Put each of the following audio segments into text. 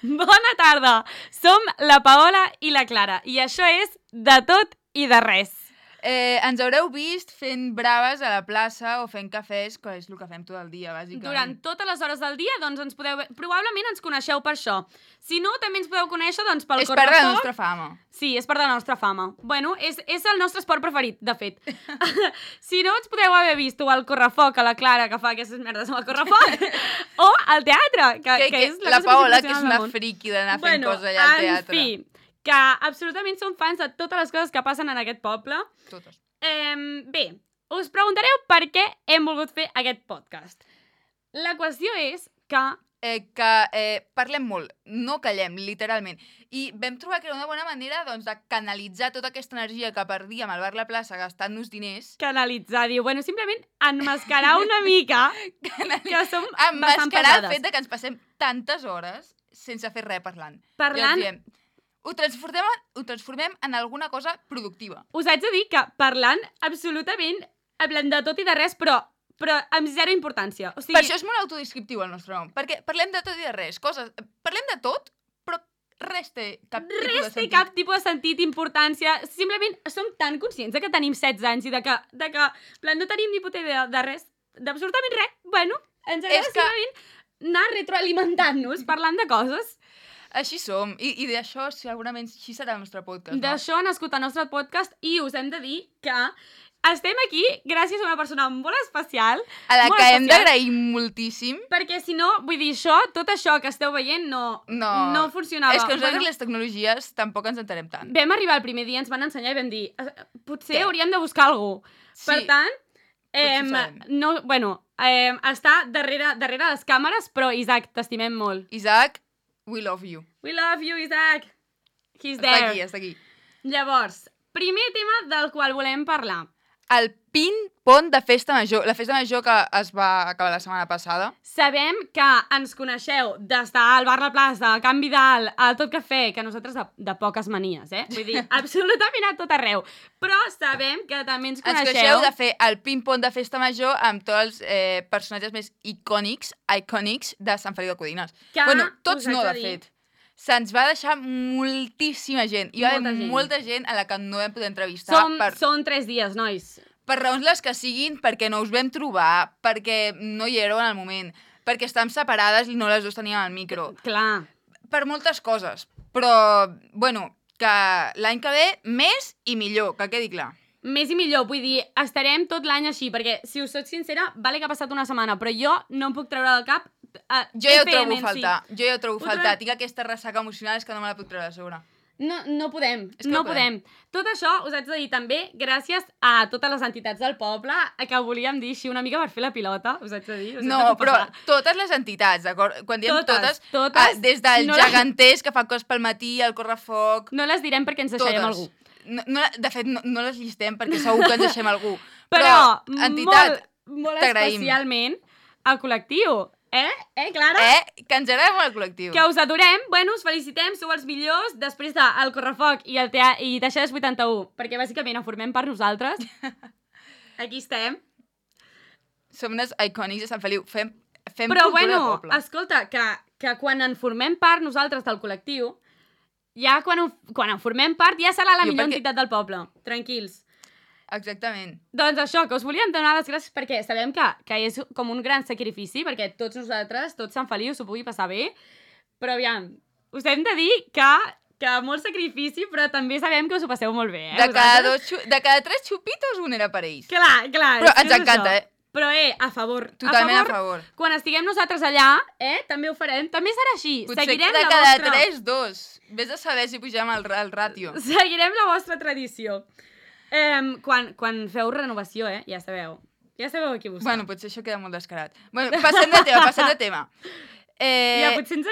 Bona tarda! Som la Paola i la Clara i això és De tot i de res. Ens haureu vist fent braves a la plaça o fent cafès, que és el que fem tot el dia, bàsicament. Durant totes les hores del dia, doncs ens podeu... Probablement ens coneixeu per això. Si no, també ens podeu conèixer doncs, pel correfoc. És part de la nostra fama. Sí, és part de la nostra fama. Bueno, és el nostre esport preferit, de fet. Si no, ens podeu haver vist o al correfoc, a la Clara, que fa aquestes merdes amb el correfoc, o al teatre, que és la Paola, que és una friqui d'anar fent coses allà al teatre. En fi, que absolutament som fans de totes les coses que passen en aquest poble. Totes. Bé, us preguntareu per què hem volgut fer aquest podcast. La qüestió és que... parlem molt, no callem, literalment. I vam trobar que era una bona manera doncs, de canalitzar tota aquesta energia que perdíem al bar La Plaça gastant-nos diners. Canalitzar, diu. Bueno, simplement enmascarar una mica que som bastant enmascarar pesades. el fet de que ens passem tantes hores sense fer res parlant. Parlant... Diem, ho transformem en alguna cosa productiva. Us haig de dir que parlant absolutament, parlant de tot i de res, però amb zero importància. O sigui... Per això és molt autodescriptiu el nostre nom, perquè parlem de tot i de res. Parlem de tot, però res té cap tipus de sentit. Res té cap tipus de sentit, importància. Simplement som tan conscients de que tenim 16 anys i de que no tenim ni puta idea de res, d'absolutament res. Bueno, ens agrada simplement anar retroalimentant-nos, parlant de coses. Així som, i d'això segurament així serà el nostre podcast, no? D'això ha nascut el nostre podcast i us hem de dir que estem aquí gràcies a una persona molt especial. A la que hem d'agrair moltíssim. Perquè si no, vull dir, tot això que esteu veient no funcionava. És que nosaltres les tecnologies tampoc ens entenem tant. Vam arribar el primer dia, ens van ensenyar i vam dir potser hauríem de buscar algú. Sí. Per tant, està darrere les càmeres, però Isaac, t'estimem molt. Isaac, we love you. We love you, Isaac. He's there. Està aquí. Llavors, primer tema del qual volem parlar. El pin-pont de Festa Major. La Festa Major que es va acabar la setmana passada. Sabem que ens coneixeu d'estar al bar La Plaça, a Can Vidal, al Tot Cafè, que nosaltres de poques manies, Vull dir, absolutament a tot arreu. Però sabem que també ens coneixeu... Ens coneixeu de fer el pin-pont de Festa Major amb tots els personatges més icònics de Sant Feliu de Codines. Bueno, tots no, de fet. Se'ns va deixar moltíssima gent. Hi va haver molta gent a la que no vam poder entrevistar. Són 3 dies, nois. Per raons les que siguin, perquè no us vam trobar, perquè no hi éreu en el moment, perquè estàvem separades i no les dues teníem al micro. Clar. Per moltes coses. Però, bueno, que l'any que ve més i millor, que quedi clar. Més i millor, vull dir, estarem tot l'any així, perquè, si us soc sincera, vale que ha passat una setmana, però jo no em puc treure del cap jo ja ho trobo a faltar. Jo ja ho trobo a faltar. Tinc aquesta ressaca emocional, és que no me la puc treure de sobre. No podem, no podem. Tot això us haig de dir també gràcies a totes les entitats del poble, que volíem dir així una mica per fer la pilota, us haig de dir. No, però totes les entitats, d'acord? Quan diem totes des del geganters que fan coses pel matí, el correfoc... No les direm perquè ens deixarem algú. De fet, no les llistem perquè segur que ens deixem algú. Però entitat, molt especialment el col·lectiu. Clara? Que ens agrada molt el col·lectiu. Que us adorem, bueno, us felicitem, sou els millors després del correfoc i Deixades 81, perquè bàsicament en formem part nosaltres. Aquí estem. Som unes icònics de Sant Feliu, fem però cultura de poble. Escolta, que quan en formem part nosaltres del col·lectiu, ja quan en formem part ja serà la millor entitat del poble, tranquils. Exactament. Doncs això, que us volíem donar les gràcies perquè sabem que és com un gran sacrifici, perquè tots nosaltres, tot Sant Feliu s'ho pugui passar bé, però aviam, us hem de dir que molt sacrifici, però també sabem que us ho passeu molt bé, De cada 3 xupitos un era per ells. Clar. Però ens encanta, Però, a favor. Totalment a favor. Quan estiguem nosaltres allà, també ho farem. També serà així. Potser que de cada 3, 2. Vés a saber si pugem el ràtio. Seguirem la vostra tradició. Quan feu renovació, ja sabeu. Ja sabeu a qui buscar. Bueno, potser això queda molt descarat. Bueno, passem de tema. Ja, potser ens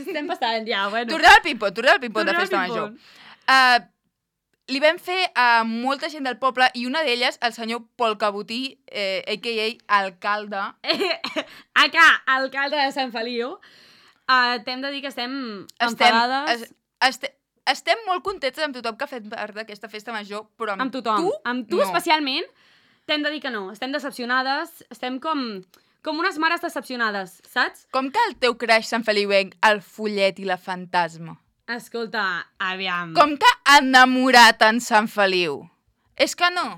estem passant, ja, bueno. Tornem al pin-pont de Festa Major. Li vam fer a molta gent del poble i una d'elles, el senyor Pol Cabotí, a.k.a. alcalde. Alcalde de Sant Feliu. T'hem de dir que estem enfadades. Estem molt contentes amb tothom que ha fet part d'aquesta Festa Major, però amb tothom. tu Amb tu no. Especialment, t'hem de dir que no. Estem decepcionades, estem com com unes mares decepcionades, saps? Com que el teu crush Sant Feliuenc, el Follet i la Fantasma? Escolta, aviam. Com que ha enamorat en Sant Feliu? És que no.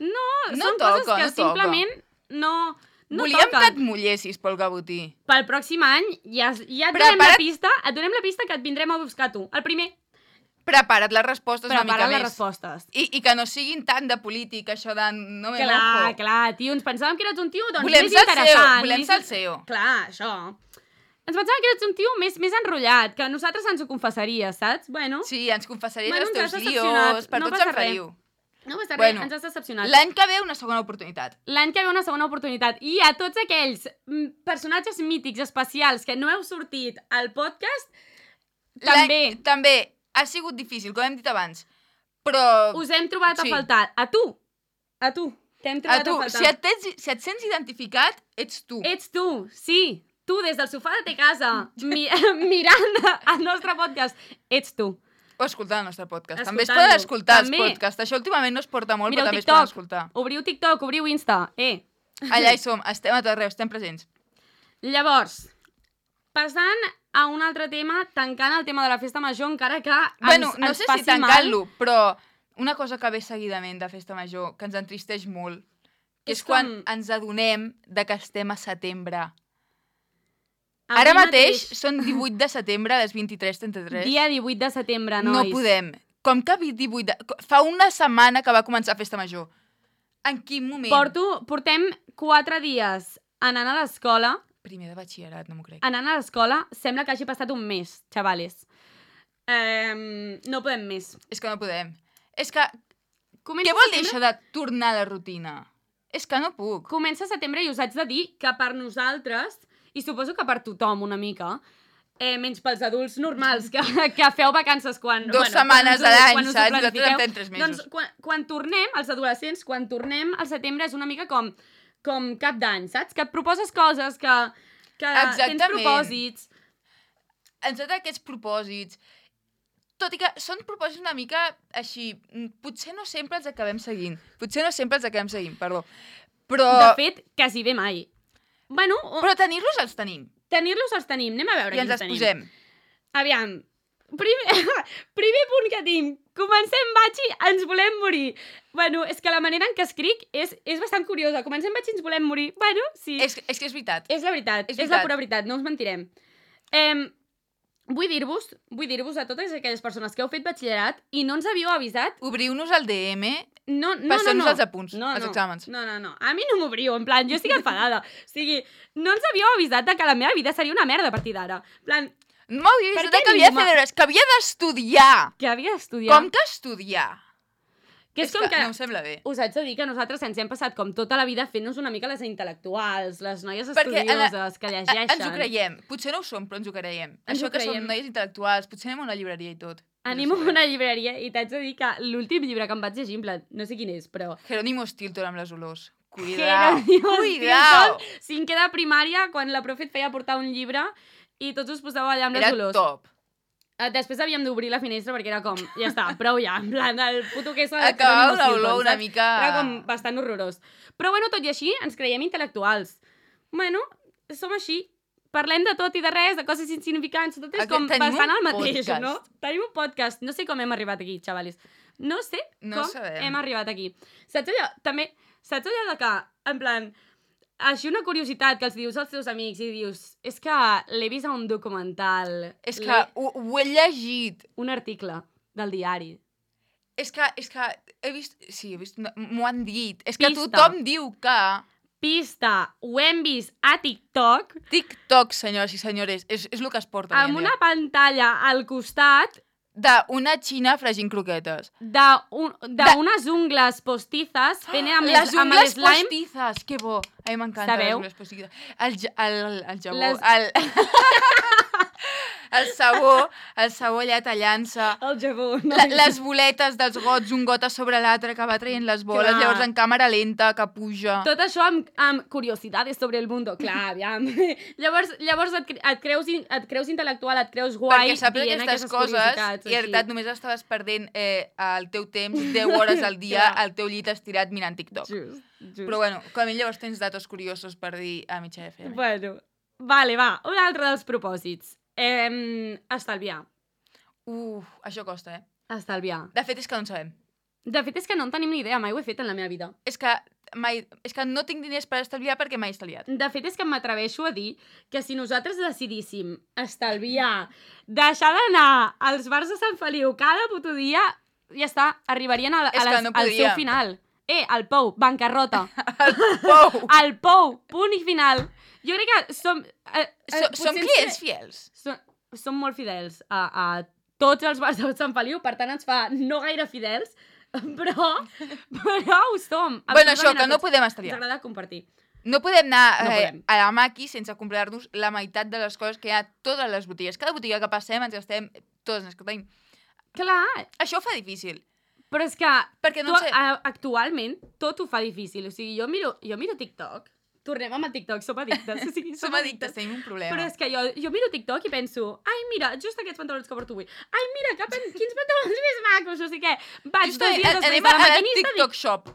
No, són coses que simplement no Volíem toquen. que et mullessis pel Gabotí. Pel pròxim any ja et donem la pista, que et vindrem a buscar tu. El primer. Prepara't les respostes una mica més. Prepara't les respostes. I que no siguin tant de política, això de no me mojo. Clar, tio, ens pensàvem que eres un tio doncs, més interessant. Volem ser el CEO. Clar, això. Ens pensàvem que eres un tio més enrotllat, que nosaltres ens ho confessaries, saps? Bueno. Sí, ens confessaries els teus lios, per tot Sant Feliu. No passa res, ens has decepcionat. L'any que ve una segona oportunitat. I a tots aquells personatges mítics especials que no heu sortit al podcast, també. També ha sigut difícil, com hem dit abans, però... Us hem trobat a faltar. A tu. T'hem trobat a faltar. Si et sents identificat, ets tu. Ets tu, sí. Tu, des del sofà de ta casa, mirant el nostre podcast, ets tu. O escoltant el nostre podcast. També es poden escoltar els podcasts. Això últimament no es porta molt, però també es poden escoltar. Obriu TikTok, obriu Insta. Allà hi som, estem a tot arreu, estem presents. Llavors, passant a un altre tema, tancant el tema de la festa major, encara que no sé si tancant-lo, però una cosa que ve seguidament de festa major, que ens entristeix molt, que és quan ens adonem de que estem a setembre. Ara mateix són 18 de setembre a les 23:33. Dia 18 de setembre, nois. No podem. Com que 18 de... Fa una setmana que va començar Festa Major. En quin moment? Portem 4 dies anant a l'escola. Primer de batxillerat, no m'ho crec. Anant a l'escola, sembla que hagi passat un mes, xavales. No podem més. És que no podem. És que... Què vol dir això de tornar a la rutina? És que no puc. Comença setembre i us haig de dir que per nosaltres... I suposo que per tothom una mica, menys pels adults normals que feu vacances quan... 2 setmanes a l'any, saps? Nosaltres en fem 3 mesos. Doncs quan tornem, els adolescents, quan tornem al setembre és una mica com cap d'any, saps? Que et proposes coses, que tens propòsits. Ens donen aquests propòsits, tot i que són propòsits una mica així, potser no sempre els acabem seguint, perdó. Però... De fet, quasi bé mai. Bueno, però tenir-los els tenim. Anem a veure i ens els posem. Aviam, primer punt que tinc. Comencem batxi, ens volem morir. Bueno, és que la manera en què escric és bastant curiosa. Comencem batxi, ens volem morir. Bueno, sí. És que és veritat. És la veritat, és la pura veritat, no us mentirem. Vull dir-vos a totes aquelles persones que heu fet batxillerat i no ens havíeu avisat... Obriu-nos el DM... Passem-nos els apunts, els exàmens. No. A mi no m'obriu, en plan, jo estic enfadada. O sigui, no ens havíeu avisat que la meva vida seria una merda a partir d'ara. En plan... No m'havíeu avisat que havia de fer deures, que havia d'estudiar. Com que estudiar? Que és com que... no em sembla bé. Us haig de dir que nosaltres ens hem passat com tota la vida fent-nos una mica les intel·lectuals, les noies estudioses, que llegeixen. Ens ho creiem. Potser no ho som, però ens ho creiem. Això que som noies intel·lectuals, potser anem a una llibreria i tot. Anem a una llibreria i t'haig de dir que l'últim llibre que em vaig llegir, en plan, no sé quin és, però... Jerónimo Stilton amb les olors. Cuidao! Cinquè de primària, quan la profe et feia portar un llibre i tots us posàveu allà amb les olors. Era top. Després havíem d'obrir la finestra perquè era com, ja està, prou ja, en plan, el puto queso... Acabava l'olor una mica... Era com bastant horrorós. Però bueno, tot i així, ens creiem intel·lectuals. Bueno, som així. Parlem de tot i de res, de coses insignificants, tot és com bastant el mateix, no? Tenim un podcast. No sé com hem arribat aquí, xavalis. No sé com hem arribat aquí. Saps allò de que, en plan, així una curiositat que els dius als teus amics i dius, és que l'he vist a un documental. És que ho he llegit. Un article del diari. És que he vist... Sí, he vist... M'ho han dit. És que tothom diu que... Pista, ho hem vist a TikTok. TikTok, senyores i senyores, és el que es porta avui en dia. Amb una pantalla al costat... D'una xina fregint croquetes. D'unes ungles postizes fent amb les slime. Les ungles postizes, que bo. A mi m'encanta les ungles postizes. El jabó... el sabó allà tallant-se. El jabó. Les boletes dels gots, un got a sobre l'altre que va traient les boles, Clar. llavors en càmera lenta, que puja. Tot això amb curiositats sobre el mundo. Clar, aviam. Llavors et creus intel·lectual, et creus guai perquè saps dient aquestes aquestes coses curiositats. i en realitat només estaves perdent el teu temps 10 hores al dia al teu llit estirat mirant TikTok. Just. Però bueno, com a mi llavors tens datos curiosos per dir a mitja FM. Bueno, vale, va. Un altre dels propòsits. Estalviar. Això costa, eh? Estalviar. De fet, és que no en sabem. De fet, és que no en tenim ni idea, mai ho he fet en la meva vida. És que no tinc diners per estalviar perquè mai he estalviat. De fet, és que m'atreveixo a dir que si nosaltres decidíssim estalviar, deixar d'anar als bars de Sant Feliu cada puto dia, ja està, arribarien al seu final. El Pou, bancarrota. El Pou! El Pou, punt i final. Jo crec que som clients fiels. Som molt fidels a tots els bars de Sant Feliu, per tant ens fa no gaire fidels, però ho som. Bueno, això, que no podem estalviar. Ens agrada compartir. No podem anar a la maqui sense comprar-nos la meitat de les coses que hi ha a totes les botigues. Cada botiga que passem ens gastem totes les que tenim. Clar. Això ho fa difícil. Però és que actualment tot ho fa difícil. O sigui, jo miro TikTok. Tornem amb el TikTok, som addictes. O sigui, som addictes, tenim un problema. Però és que jo miro TikTok i penso, ai, mira, just aquests pantalons que porto avui. Ai, mira, quins pantalons més macos, no sé què. Vaig 2 dies després a la maquinista... TikTok Shop.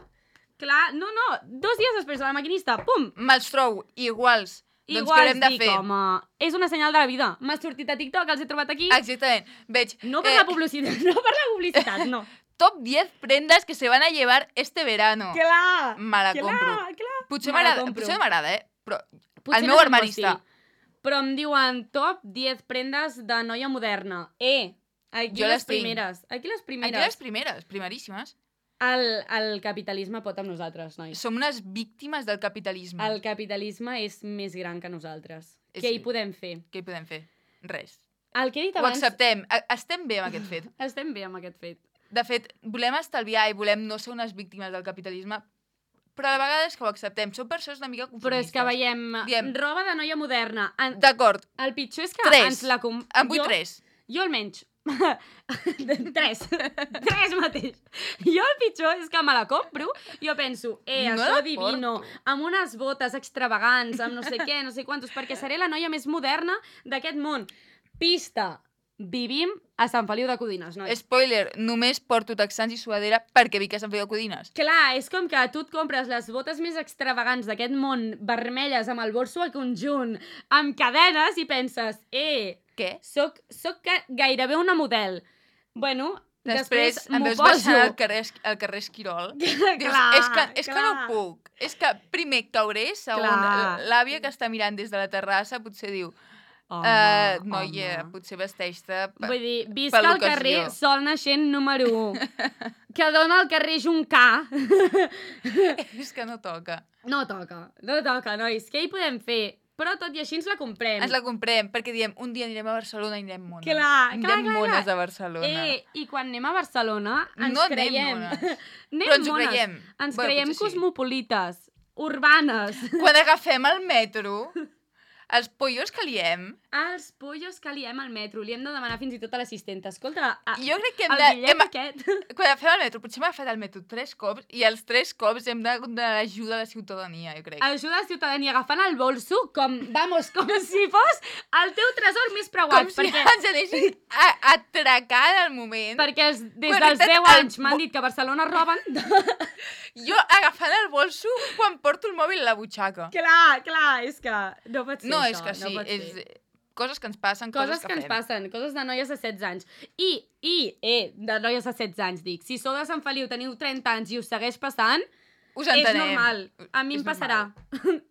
Clar, no, 2 dies després a la maquinista, pum! Me'ls trobo iguals. Doncs què haurem de fer? Home, és una senyal de la vida. M'ha sortit a TikTok, els he trobat aquí. Exactament. Veig... No per la publicitat, no. Top 10 prendes que se van a llevar este verano. Clar! Me la compro. Clar. Potser m'agrada, Però potser el meu armari està. Però em diuen top 10 prendes de noia moderna. Aquí les primeres. Aquí les primeres, primeríssimes. El capitalisme pot amb nosaltres, nois. Som unes víctimes del capitalisme. El capitalisme és més gran que nosaltres. Què hi podem fer? Què hi podem fer? Res. El que he dit abans... Ho acceptem. Estem bé amb aquest fet. Estem bé amb aquest fet. De fet, volem estalviar i volem no ser unes víctimes del capitalisme, però a la vegada és que ho acceptem. Som persones una mica conformistes. Però és que veiem roba de noia moderna. D'acord. El pitjor és que 3. ens la... En vull 3. Jo almenys. 3 mateix. Jo el pitjor és que me la compro i jo penso, això divino, amb unes botes extravagants, amb no sé què, no sé quantos, perquè seré la noia més moderna d'aquest món. Pista. Vivim a Sant Feliu de Codines, nois. Spoiler, només porto texans i suadera perquè vic a Sant Feliu de Codines. Clar, és com que tu et compres les botes més extravagants d'aquest món, vermelles, amb el bolso al conjunt, amb cadenes, i penses, què? Soc gairebé una model. Bueno, després em veus baixant al carrer Esquirol. És que no puc. És que primer cauré, segon, l'àvia que està mirant des de la terrassa potser diu... noia, potser vesteix-te vull dir, visca al carrer Sol Naixent número 1 que dona al carrer Juncà. És que no toca. No toca, nois. Què hi podem fer? Però tot i així ens la comprem. Ens la comprem, perquè diem, un dia anirem a Barcelona i anirem mones. Clar. Mones a Barcelona. I quan anem a Barcelona ens creiem... Però ens ho creiem. Ens creiem cosmopolites, urbanes. Quan agafem el metro... Els pollos que liem... Els pollos que liem al metro. Li hem de demanar fins i tot a l'assistenta. Escolta, jo crec que el bitllet aquest... Quan fem el metro, potser m'ha fet el metro 3 cops i els 3 cops hem de donar ajuda a la ciutadania, jo crec. Ajuda a la ciutadania agafant el bolso com si fos el teu tresor més preuat. Com si ens anessin atracant al moment. Perquè des dels 10 anys m'han dit que a Barcelona roben... Jo agafant el bolso quan porto el mòbil a la butxaca. Clar, és que no pot ser no, això. És que sí, és coses que ens passen, coses que ens passen, coses de noies de 16 anys. De noies de 16 anys, dic. Si sou de Sant Feliu, teniu 30 anys i us segueix passant, és normal. A mi em passarà.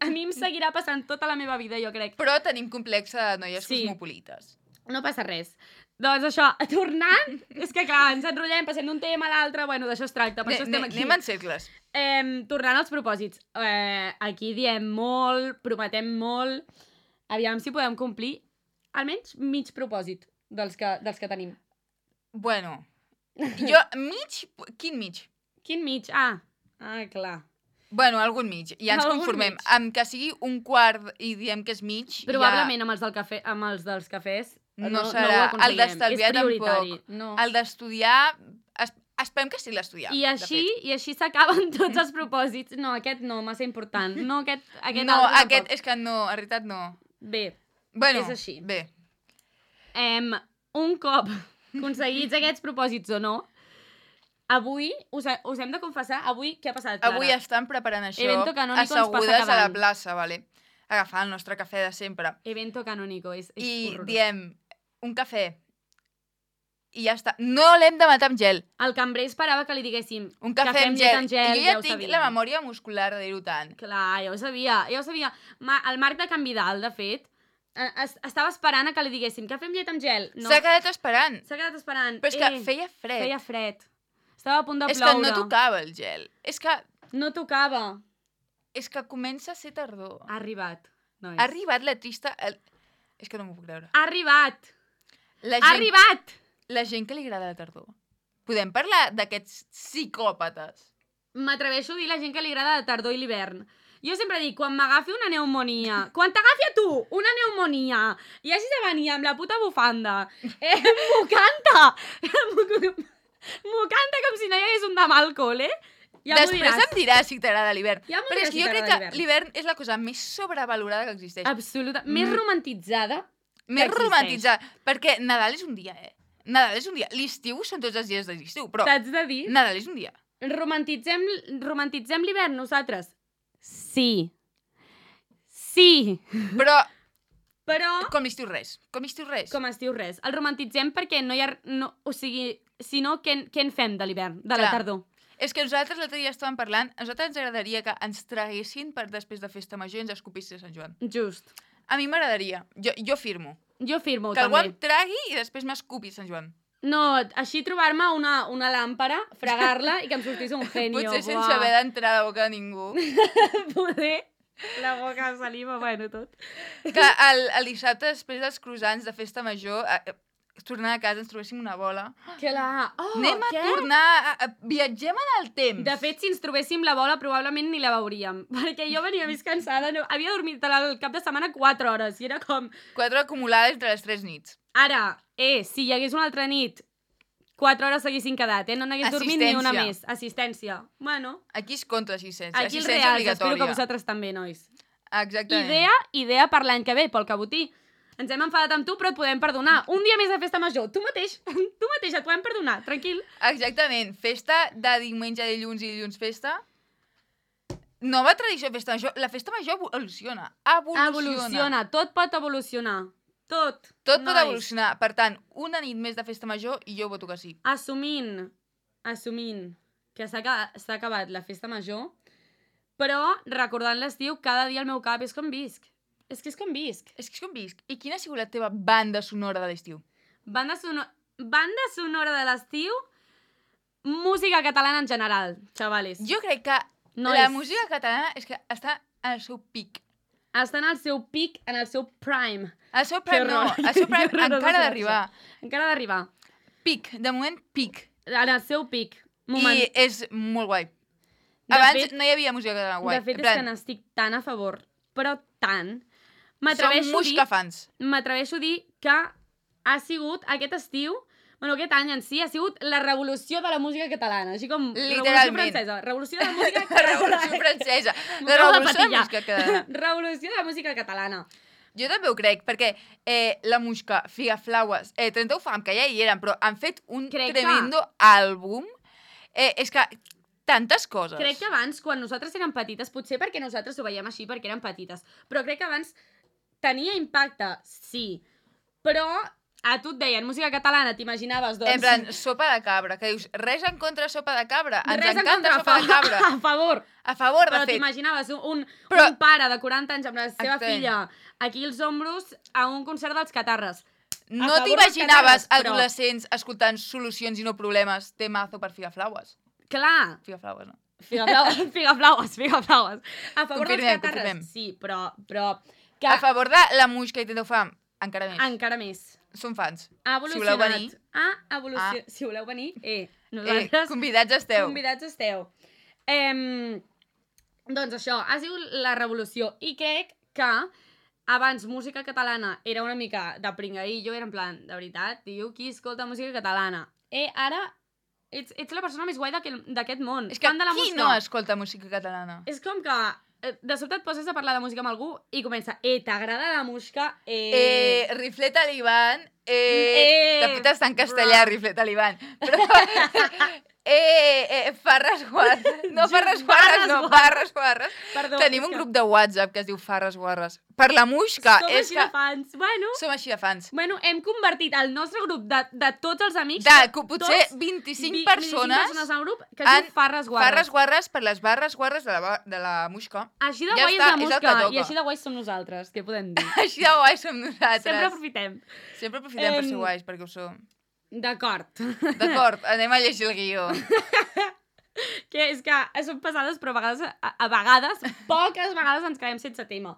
A mi em seguirà passant tota la meva vida, jo crec. Però tenim complex de noies cosmopolites. No passa res. Doncs això, tornant, és que clar, ens enrotllem, passem d'un tema a l'altre, bueno, d'això es tracta, per això estem aquí. Anem en cercles. Tornant als propòsits. Aquí diem molt, prometem molt, aviam si podem complir almenys mig propòsit dels que tenim. Bueno, jo, quin mig? Quin mig? Clar. Bueno, algun mig, ja ens conformem. Amb que sigui un quart i diem que és mig... Probablement amb els dels cafès No serà. El d'estalviar tampoc. No. El d'estudiar... Esperem que sigui l'estudiar. I així s'acaben tots els propòsits. No, aquest no, massa important. No, aquest és que no, en realitat no. Bé, bueno, és així. Bé. Un cop aconseguits aquests propòsits o no, avui, us hem de confessar, avui què ha passat, Clara? Avui estan preparant això, Evento canónico assegudes a la plaça, vale? Agafant el nostre cafè de sempre. Evento canónico, és horrorós. I diem, un cafè, i ja està. No l'hem de matar amb gel. El cambrer esperava que li diguéssim un cafè amb gel. I jo ja tinc la memòria muscular de dir-ho tant. Clar, ja ho sabia. El Marc de Can Vidal, de fet, estava esperant a que li diguéssim cafè amb llet amb gel. No. S'ha quedat esperant. Però és que feia fred. Feia fred. Estava a punt de ploure. És que no tocava el gel. És que... No tocava. És que comença a ser tardor. Ha arribat, nois. Ha arribat la trista... És que no m'ho puc creure. Ha arribat! Ha arribat! La gent que li agrada la tardor. Podem parlar d'aquests psicòpates? M'atreveixo a dir la gent que li agrada la tardor i l'hivern. Jo sempre dic, quan m'agafi una pneumonia, quan t'agafi a tu una pneumonia i hagis de venir amb la puta bufanda, m'ho canta! M'ho canta com si no hi hagués un demà al col·le. Ja després em diràs si t'agrada l'hivern. Ja però és que jo crec que l'hivern és la cosa més sobrevalorada que existeix. Absolutament. Més romantitzada. Més romantitzada. Perquè Nadal és un dia, Nadal és un dia. L'estiu són tots els dies de l'estiu, però... T'haig de dir... Nadal és un dia. Romantitzem l'hivern nosaltres? Sí. Sí. Però... Però... Com l'estiu res. Com l'estiu res. Com estiu res. El romantitzem perquè no hi ha... No, o sigui, si no, què en fem de l'hivern, de la tardor? És que nosaltres l'altre dia estàvem parlant, a nosaltres ens agradaria que ens traguessin per després de festa major i ens escopissin a Sant Joan. Just. A mi m'agradaria. Jo firmo. Jo firmo, que també. Que algú em tragui i després m'escupi a Sant Joan. No, així trobar-me una làmpara, fregar-la i que em sortís un genio. Potser sense haver d'entrar a la boca de ningú. Poder... La boca de saliva, bueno, tot. Que el dissabte, després dels croissants de festa major, tornant a casa ens trobéssim una bola. Clar. Anem a tornar... Viatgem en el temps. De fet, si ens trobéssim la bola, probablement ni la veuríem. Perquè jo venia més cansada. No, havia dormit el cap de setmana 4 hores. I era com... 4 acumulades entre les 3 nits. Ara, si hi hagués una altra nit, 4 hores s'haguessin quedat, no n'hagués dormit ni una més. Assistència. Bueno. Aquí es compta l'assistència. Aquí els reals, espero que vosaltres també, nois. Exactament. Idea per l'any que ve, pel cabotí. Ens hem enfadat amb tu, però et podem perdonar. Un dia més de festa major. Tu mateix et podem perdonar, tranquil. Exactament. Festa de diumenge, dilluns i dilluns festa. Nova tradició de festa major. La festa major evoluciona. Evoluciona. Tot pot evolucionar. Tot pot evolucionar. Per tant, una nit més de festa major i jo voto que sí. Assumint que s'ha acabat la festa major, però recordant l'estiu, cada dia al meu cap és com visc. És que és com visc. I quina ha sigut la teva banda sonora de l'estiu? Banda sonora de l'estiu, música catalana en general, xavales. Jo crec que la música catalana és que està en el seu pic. Està en el seu pic, en el seu prime. El seu prime no, el seu prime encara d'arribar. Encara d'arribar. Pic, de moment pic. En el seu pic. I és molt guai. Abans no hi havia música catalana guai. De fet, és que n'estic tan a favor, però tant. Som muscafans. M'atreveixo a dir que ha sigut aquest estiu, aquest any en si, ha sigut la revolució de la música catalana. Així com revolució francesa. Revolució de la música catalana. Revolució francesa. La revolució de la música catalana. Revolució de la música catalana. Jo també ho crec, perquè la Muixca, Figaflaues, 30 Fam, que ja hi eren, però han fet un tremendo àlbum. És que tantes coses. Crec que abans, quan nosaltres érem petites, potser perquè nosaltres ho veiem així, perquè érem petites, però crec que abans tenia impacte, sí, però a tu et deien música catalana, t'imaginaves, doncs... En plan, sopa de cabra, que dius, res en contra de sopa de cabra, ens encanta sopa de cabra. A favor. A favor, de fet. Però t'imaginaves un pare de 40 anys amb la seva filla aquí als ombros a un concert dels Catarres. No t'imaginaves adolescents escoltant solucions i no problemes temazo per Figaflaues. Clar. Figaflaues, no? Figaflaues. A favor dels Catarres. Confirmem. Sí, però... A favor de la Muixca i 30 Fam, encara més. Encara més. Som fans. Ha evolucionat. Si voleu venir, nosaltres... Convidats esteu. Doncs això, ha sigut la revolució. I crec que abans música catalana era una mica de pringaïllo, era en plan, de veritat, tio, qui escolta música catalana? Ara ets la persona més guai d'aquest món. És que qui no escolta música catalana? És com que de sobte et poses a parlar de música amb algú i comença, t'agrada la música? Rifle Taliban, de fet està en castellà, Rifle Taliban, però... Farres Guarres. No, Farres Guarres, no, Barres Guarres. Perdó, tenim un grup de WhatsApp que es diu Farres Guarres. Per la Muixca. Som així de fans. Bueno, som així de fans. Bueno, hem convertit el nostre grup de tots els amics... potser 25 persones al grup que es diu Farres Guarres. Farres Guarres per les barres guarres de la Muixca. Així de guai és la Muixca i així de guai som nosaltres, què podem dir? Així de guai som nosaltres. Sempre aprofitem. Sempre aprofitem per ser guais, perquè ho som. D'acord. D'acord, anem a llegir el guió. Que és que són pesades, però a vegades, poques vegades ens quedem sense tema.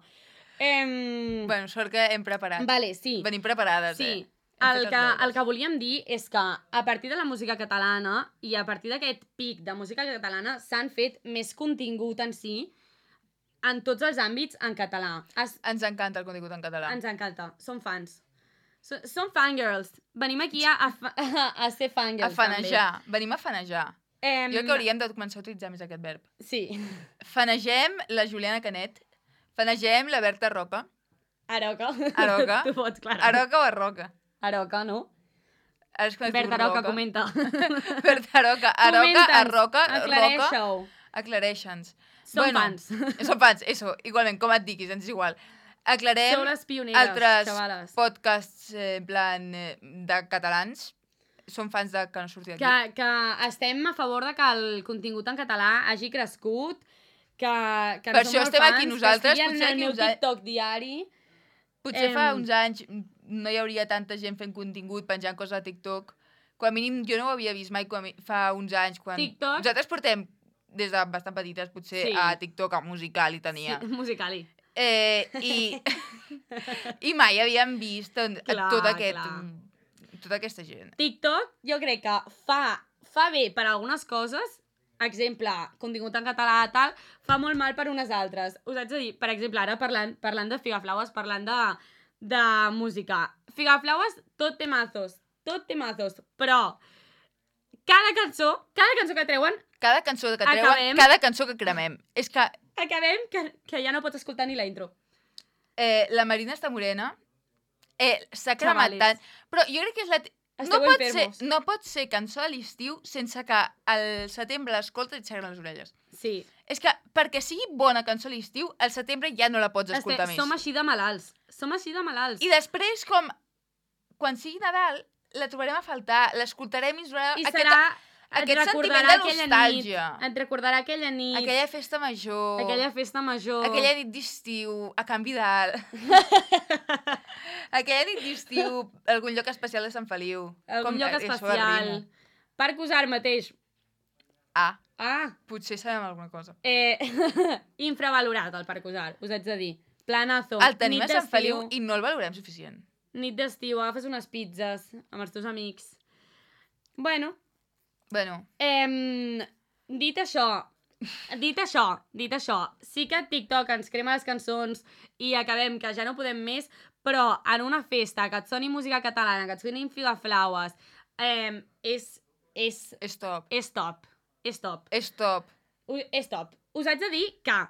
Bueno, sort que hem preparat. Vale, sí. Venim preparades, sí. El que volíem dir és que a partir de la música catalana i a partir d'aquest pic de música catalana s'han fet més contingut en si en tots els àmbits en català. Ens encanta el contingut en català. Ens encanta, som fans. Som fangirls. Venim aquí a ser fangirls. A fanejar. També. Venim a fanejar. Jo crec que hauríem de començar a utilitzar més aquest verb. Sí. Fanegem la Juliana Canet. Fanegem la Berta Roca. Aroca. Aroca. Tu pots, clar. Aroca o Arroca? Aroca, no? Berta Roca, comenta. Berta Roca. Aroca, Arroca, aclareixeu. Aclareixa'ns. Som fans. Som fans, eso. Igualment, com et diguis, ens és igual. Aclarem altres podcasts en plan de catalans. Som fans de que no surti d'aquí. Que estem a favor de que el contingut en català hagi crescut, que per això estem aquí nosaltres. Que estigui en el meu TikTok diari. Potser fa uns anys no hi hauria tanta gent fent contingut, penjant coses a TikTok. Com a mínim jo no ho havia vist mai fa uns anys. TikTok? Nosaltres portem des de bastant petites potser a TikTok, a Musical.ly tenia. Sí, Musical.ly. I mai havíem vist tota aquesta gent. TikTok jo crec que fa bé per algunes coses, exemple, contingut en català tal, fa molt mal per unes altres. Us haig de dir, per exemple, ara parlant de Figaflaues, parlant de música. Figaflaues, tot temazos, però cada cançó que treuen... Cada cançó que treuen, cada cançó que cremem. És que... Acabem que ja no pots escoltar ni la intro. La Marina està morena. S'ha cremat tant. Però jo crec que és no pot ser cançó de l'estiu sense que al setembre l'escoltes i et segren les orelles. Sí. És que perquè sigui bona cançó a l'estiu, al setembre ja no la pots escoltar més. Som així de malalts. I després, quan sigui Nadal, la trobarem a faltar, l'escoltarem i ens donarà aquest sentiment de nostàlgia. Et recordarà aquella nit. Aquella festa major. Aquella nit d'estiu, a Can Vidal. Aquella nit d'estiu, algun lloc especial de Sant Feliu. Algun lloc especial. Parc Usar mateix. Potser sabem alguna cosa. Infravalorat el Parc Usar, us haig de dir. Planazo. El tenim a Sant Feliu i no el valorem suficient. Nit d'estiu, agafes unes pizzas amb els teus amics. Bueno. Dit això, sí que TikTok ens crema les cançons i acabem que ja no podem més, però en una festa que et soni música catalana, que et soni Figaflaues, és top. Us haig de dir que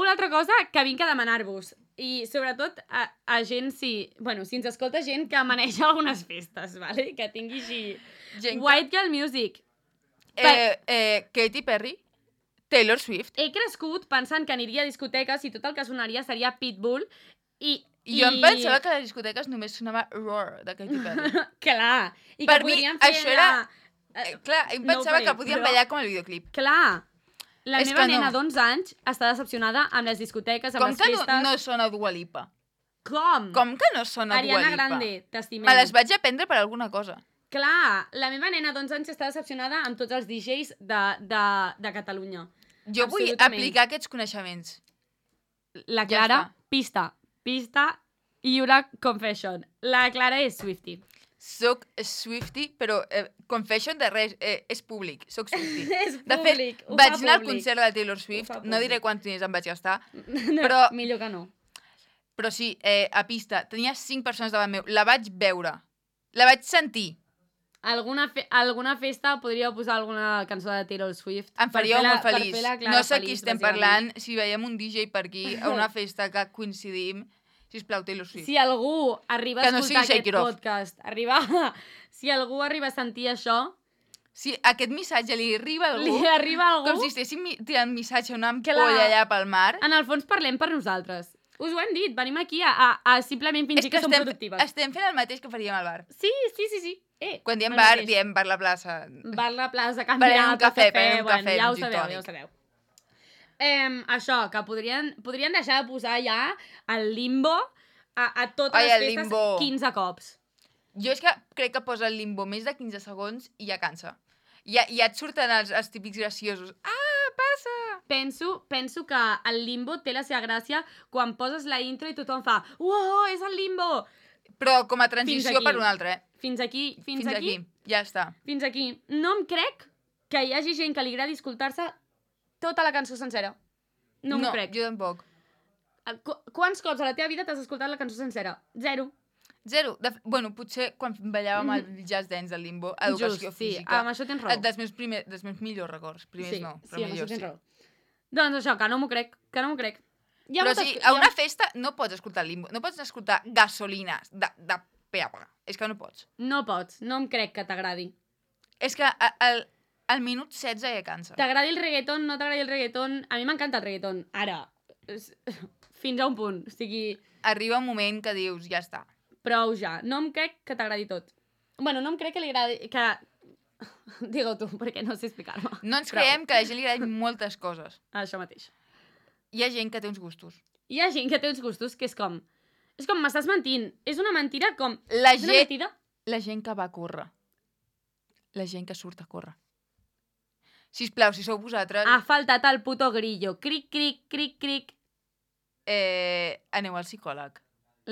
una altra cosa que vinc a demanar-vos, i sobretot a gent, si ens escolta gent que maneja algunes festes, vale? Que tingui així... White Girl Music. Katy Perry, Taylor Swift. He crescut pensant que aniria a discoteques i tot el que sonaria seria Pitbull i... Jo em pensava que a les discoteques només sonava Roar de Katy Perry. Clar. I que podríem fer... Això era... Clar, em pensava que podíem ballar com el videoclip. Clar. La meva nena d'11 anys està decepcionada amb les discoteques, amb les festes... Com que no sona Dua Lipa? Com? Com que no sona Dua Lipa? Ariana Grande, t'estimem. Me les vaig aprendre per alguna cosa. Clar, la meva nena d'11 anys està decepcionada amb tots els DJs de Catalunya. Jo vull aplicar aquests coneixements. La Clara, pista i una confession. La Clara és Swiftie. Soc Swiftie, però confession de res, és públic. Soc Swiftie. És públic, de fet, vaig anar al concert de Taylor Swift, no diré quants diners em vaig gastar, però... Millor que no. Però sí, a pista, tenia 5 persones davant meu. La vaig veure. La vaig sentir. Alguna festa podríeu posar alguna cançó de Taylor Swift. Em faria molt feliç. No sé qui estem parlant. Si veiem un DJ per aquí a una festa que coincidim, sisplau, Taylor Swift. Si algú arriba a escoltar aquest podcast, si algú arriba a sentir això... Si aquest missatge li arriba a algú... Li arriba a algú... Com si estéssim tirant missatge a una ampolla allà pel mar. En el fons parlem per nosaltres. Us ho hem dit, venim aquí a simplement fingir que som productives. Estem fent el mateix que faríem al bar. Sí. Quan diem bar, diem bar la plaça. Bar la plaça, canviar un cafè, bueno, ja ho sabeu. Això, que podrien deixar de posar ja el limbo a totes les festes 15 cops. Jo és que crec que posa el limbo més de 15 segons i ja cansa. Ja et surten els típics graciosos. Ah, passa! Penso que el limbo té la seva gràcia quan poses la intro i tothom fa «Uau, és el limbo!» Però com a transició per un altre, Fins aquí. Ja està. Fins aquí. No em crec que hi hagi gent que li agradi escoltar-se tota la cançó sencera. No m'ho crec. No, jo tampoc. Quants cops a la teva vida t'has escoltat la cançó sencera? Zero. Bueno, potser quan ballàvem el jazz dance del limbo, educació física. Sí, amb això tens raó. Dels meus millors records. Primers no, però millors sí. Raó. Doncs això, que no m'ho crec. Però sí, a una festa no pots escoltar limbo, no pots escoltar gasolines de peapa. És que no pots. No pots, no em crec que t'agradi. És que al minut 16 ja cansa. T'agradi el reggaeton, no t'agradi el reggaeton... A mi m'encanta el reggaeton. Ara, fins a un punt. O sigui... Arriba un moment que dius, ja està. Prou ja. No em crec que t'agradi tot. Bueno, no em crec que li agradi... Digue-ho tu, perquè no sé explicar-me. No ens creiem que a la gent li agradin moltes coses. Això mateix. Hi ha gent que té uns gustos. Hi ha gent que té uns gustos que és com m'estàs mentint. És una mentida com... La gent que va a córrer. La gent que surt a córrer. Sisplau, si sou vosaltres... Ha faltat el puto grillo. Cric, cric, cric, cric. Aneu al psicòleg.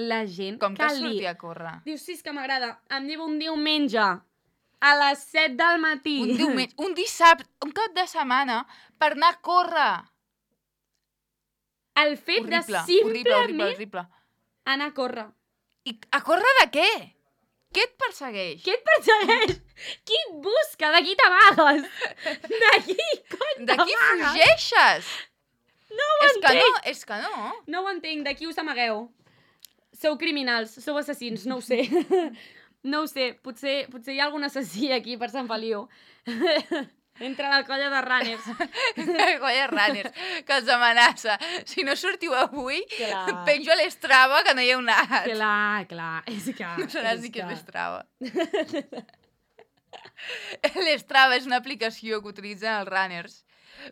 La gent com que surti a córrer. Dius, sí, és que m'agrada. Em diu un diumenge a les 7 del matí. Un dissabte, un cap de setmana per anar a córrer. El fet de simplement horrible. Anar a córrer. I a córrer de què? Què et persegueix? Qui et busca? De qui t'amagues? De qui cony t'amagues? De qui fugeixes? No ho entenc. És que no. No ho entenc. De qui us amagueu? Sou criminals, sou assassins, no ho sé. No ho sé. Potser hi ha algun assassí aquí per Sant Feliu. Entre la colla de runners. La colla de runners, que els amenaça. Si no sortiu avui, penjo a l'Strava que no hi heu anat. Clar. És que... No sabràs dir què és l'Strava. L'Strava és una aplicació que utilitzen els runners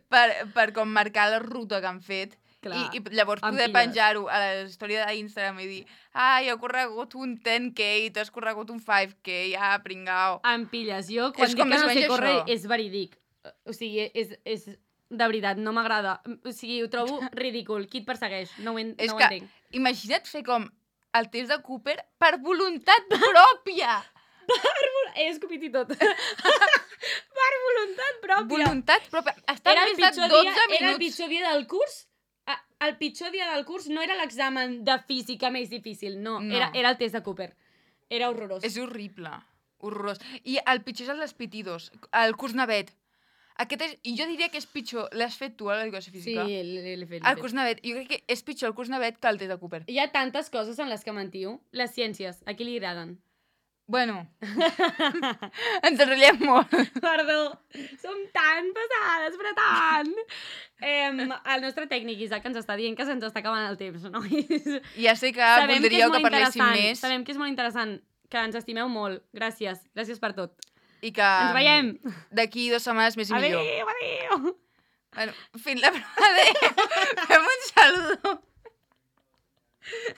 per com marcar la ruta que han fet. I llavors poder penjar-ho a la història d'Instagram i dir he corregut un 10K, tu has corregut un 5K, pringao. Em pilles. Jo, quan dic que no sé córrer, és verídic. O sigui, és de veritat, no m'agrada. O sigui, ho trobo ridícul. Qui et persegueix? No ho entenc. Imagina't fer com el test de Cooper per voluntat pròpia. He escopit i tot. Per voluntat pròpia. Voluntat pròpia. Està més de 12 minuts. Era el pitjor dia del curs? El pitjor dia del curs no era l'examen de física més difícil, no. Era el test de Cooper. Era horrorós. És horrible. Horrorós. I el pitjor és el dels pitidos, el curs navet. I jo diria que és pitjor. L'has fet tu, a l'educació física? Sí, l'he fet. El curs navet. Jo crec que és pitjor el curs navet que el test de Cooper. Hi ha tantes coses en les que mentiu. Les ciències, a qui li agraden? Bueno, ens enrotllem molt. Perdó, som tan pesades, però tant. El nostre tècnic, Isaac, ens està dient que se'ns està acabant el temps, nois. Ja sé que voldríeu que parléssim més. Sabem que és molt interessant, que ens estimeu molt. Gràcies per tot. I que ens veiem d'aquí 2 setmanes més i millor. Adéu. Bueno, fins la pròxima. Adéu. Fem un saludo.